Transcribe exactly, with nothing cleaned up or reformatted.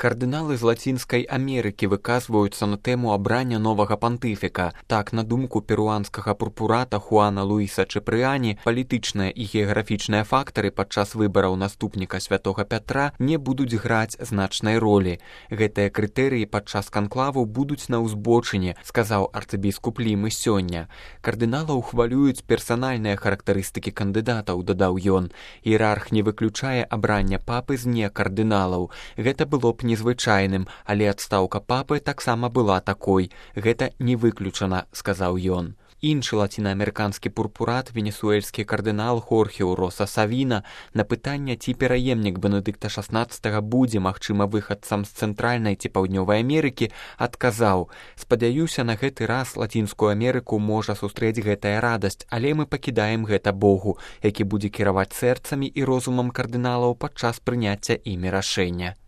Кардыналы з Лацінскай Амерыкі выказваюцца на тэму абрання новага пантыфіка. Так, на думку перуанскага пурпурата Хуана Луіса Чапрыяні, палітычныя і геаграфічныя фактары падчас выбараў наступніка святога Пятра не будуць граць значнай ролі. Гэтыя крытэрыі падчас канклаву будуць на ўзбочыне, сказаў арцыбіскуп Лімы сёння. Кардыналаў хвалююць персанальныя характарыстыкі кандыдатаў, дадаў ён. Іерарх не выключае абрання папы з некардыналаў. Гэта было б незвычайным, але адстаўка папы таксама была такой. Гэта не выключана, сказаў ён. Іншы лацінаамерыканскі пурпурат, венесуэльскі кардынал Хорхе Уроса Савіна, на пытанне, ці пераемнік Бенедыкта шаснаццатага будзе магчыма выхадцам з цэнтральнай ці паўднёвай Амерыкі, адказаў: «Спадзяюся, на гэты раз Лацінскую Амерыку можа сустрэць гэтая радасць, але мы пакідаем гэта Богу, які будзе кіраваць сэрцамі і розумам кардыналаў падчас прыняцця імі рашэння».